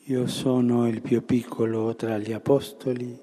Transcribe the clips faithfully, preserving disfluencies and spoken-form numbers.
Io sono il più piccolo tra gli apostoli,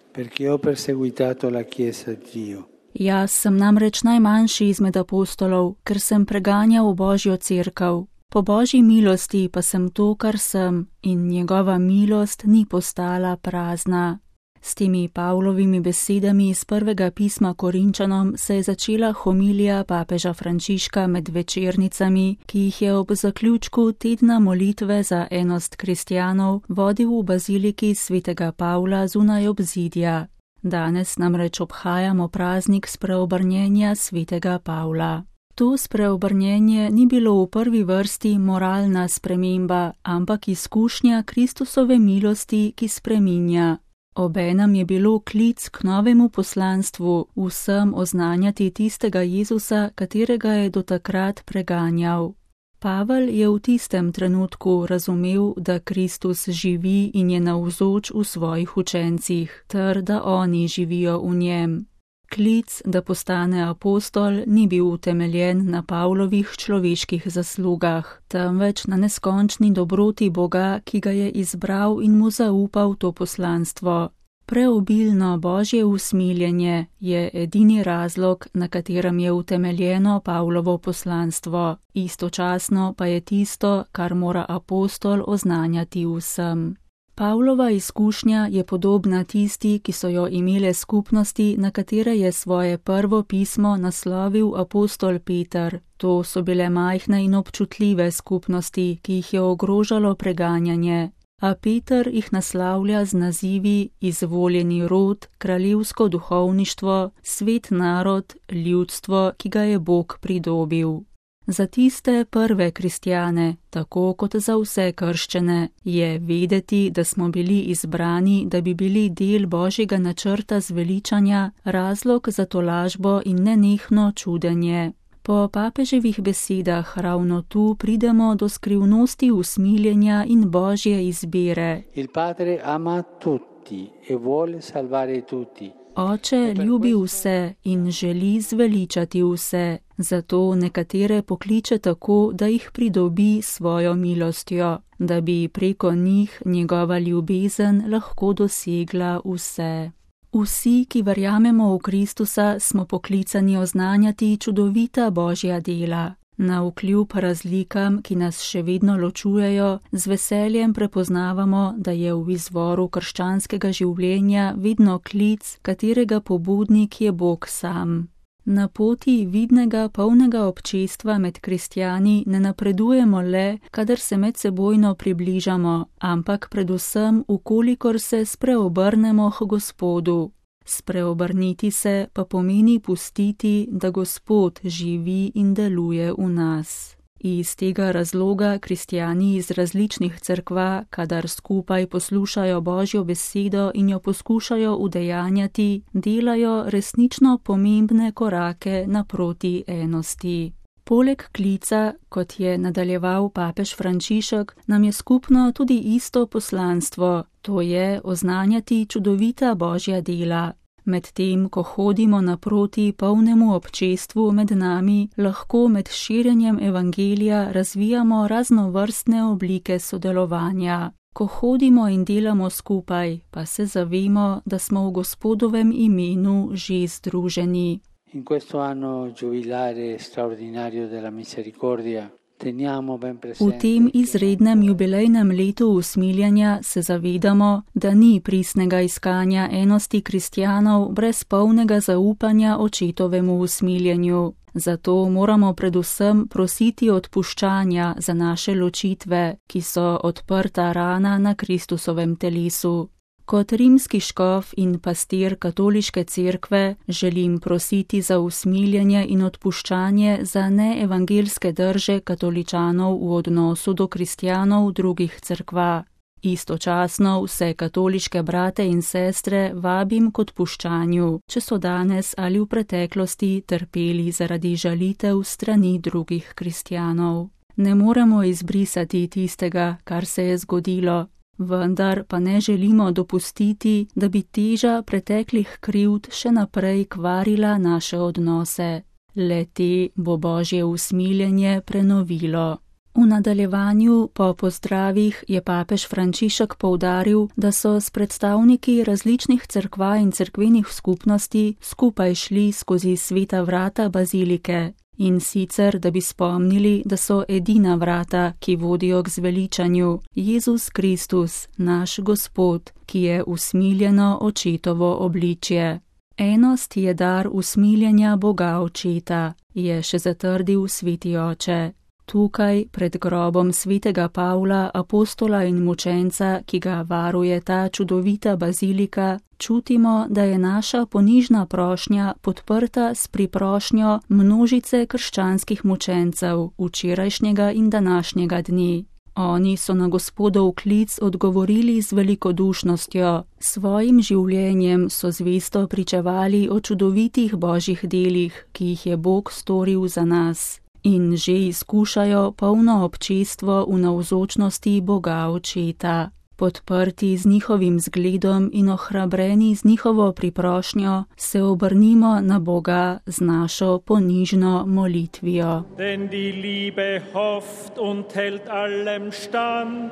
perché ho perseguitato la Chiesa di Dio. Jaz sem namreč najmanjši izmed apostolov, ker sem preganjal Božjo cerkev. Po Božji milosti pa sem to, kar sem, in njegova milost ni postala prazna. S temi Pavlovimi besedami iz prvega pisma Korinčanom se je začela homilija papeža Frančiška med večernicami, ki jih je ob zaključku tedna molitve za enost kristjanov vodil v baziliki svetega Pavla zunaj obzidja. Danes namreč obhajamo praznik spreobrnjenja svetega Pavla. To spreobrnjenje ni bilo v prvi vrsti moralna sprememba, ampak izkušnja Kristusove milosti, ki spreminja. Obenem je bilo klic k novemu poslanstvu, vsem oznanjati tistega Jezusa, katerega je do takrat preganjal. Pavel je v tistem trenutku razumel, da Kristus živi in je navzoč v svojih učencih, ter da oni živijo v njem. Klic, da postane apostol, ni bil utemeljen na Pavlovih človeških zaslugah, temveč na neskončni dobroti Boga, ki ga je izbral in mu zaupal to poslanstvo. Preobilno Božje usmiljenje je edini razlog, na katerem je utemeljeno Pavlovo poslanstvo, istočasno pa je tisto, kar mora apostol oznanjati vsem. Pavlova izkušnja je podobna tisti, ki so jo imele skupnosti, na katere je svoje prvo pismo naslovil apostol Peter. To so bile majhne in občutljive skupnosti, ki jih je ogrožalo preganjanje. A Peter jih naslavlja z nazivi izvoljeni rod, kraljevsko duhovništvo, svet narod, ljudstvo, ki ga je Bog pridobil. Za tiste prve kristjane, tako kot za vse krščene, je vedeti, da smo bili izbrani, da bi bili del Božjega načrta zveličanja, razlog za tolažbo in nenehno čudenje. Po papeževih besedah ravno tu pridemo do skrivnosti usmiljenja in Božje izbire. Il Padre ama tutti e vuole salvare tutti. Oče ljubi vse in želi zveličati vse, zato nekatere pokliče tako, da jih pridobi svojo milostjo, da bi preko njih njegova ljubezen lahko dosegla vse. Vsi, ki verjamemo v Kristusa, smo poklicani oznanjati čudovita Božja dela. Navkljub razlikam, ki nas še vedno ločujejo, z veseljem prepoznavamo, da je v izvoru krščanskega življenja vedno klic, katerega pobudnik je Bog sam. Na poti vidnega polnega občestva med kristjani ne napredujemo le, kadar se medsebojno približamo, ampak predvsem, ukolikor se spreobrnemo k Gospodu. Spreobrniti se pa pomeni pustiti, da Gospod živi in deluje v nas. Iz tega razloga kristjani iz različnih cerkva, kadar skupaj poslušajo Božjo besedo in jo poskušajo udejanjati, delajo resnično pomembne korake naproti enosti. Poleg klica, kot je nadaljeval papež Frančišek, nam je skupno tudi isto poslanstvo, to je oznanjati čudovita Božja dela. Medtem, ko hodimo naproti polnemu občestvu med nami, lahko med širjenjem evangelija razvijamo raznovrstne oblike sodelovanja. Ko hodimo in delamo skupaj, pa se zavemo, da smo v Gospodovem imenu že združeni. In questo anno giubilare straordinario della misericordia V tem izrednem jubilejnem letu usmiljenja se zavedamo, da ni pristnega iskanja enosti kristjanov brez polnega zaupanja očetovemu usmiljenju. Zato moramo predvsem prositi odpuščanja za naše ločitve, ki so odprta rana na Kristusovem telesu. Kot rimski škof in pastir katoliške cerkve želim prositi za usmiljenje in odpuščanje za neevangelske drže katoličanov v odnosu do kristjanov drugih cerkva. Istočasno vse katoliške brate in sestre vabim k odpuščanju, če so danes ali v preteklosti trpeli zaradi žalitev strani drugih kristjanov. Ne moremo izbrisati tistega, kar se je zgodilo. Vendar pa ne želimo dopustiti, da bi teža preteklih krivd še naprej kvarila naše odnose. Le te bo Božje usmiljenje prenovilo. V nadaljevanju po pozdravih je papež Frančišek poudaril, da so s predstavniki različnih cerkva in cerkvenih skupnosti skupaj šli skozi sveta vrata bazilike. In sicer, da bi spomnili, da so edina vrata, ki vodijo k zveličanju, Jezus Kristus, naš Gospod, ki je usmiljeno očetovo obličje. Enost je dar usmiljenja Boga Očeta, je še zatrdil sveti oče. Tukaj, pred grobom svetega Pavla, apostola in mučenca, ki ga varuje ta čudovita bazilika, čutimo, da je naša ponižna prošnja podprta s priprošnjo množice krščanskih mučencev včerajšnjega in današnjega dni. Oni so na Gospodov klic odgovorili z velikodušnostjo, svojim življenjem so zvesto pričevali o čudovitih božjih delih, ki jih je Bog storil za nas. In že izkušajo polno občestvo v navzočnosti Boga Očeta. Podprti z njihovim zgledom in ohrabreni z njihovo priprošnjo, se obrnimo na Boga z našo ponižno molitvijo. Denn die Liebe hofft und hält allem stand.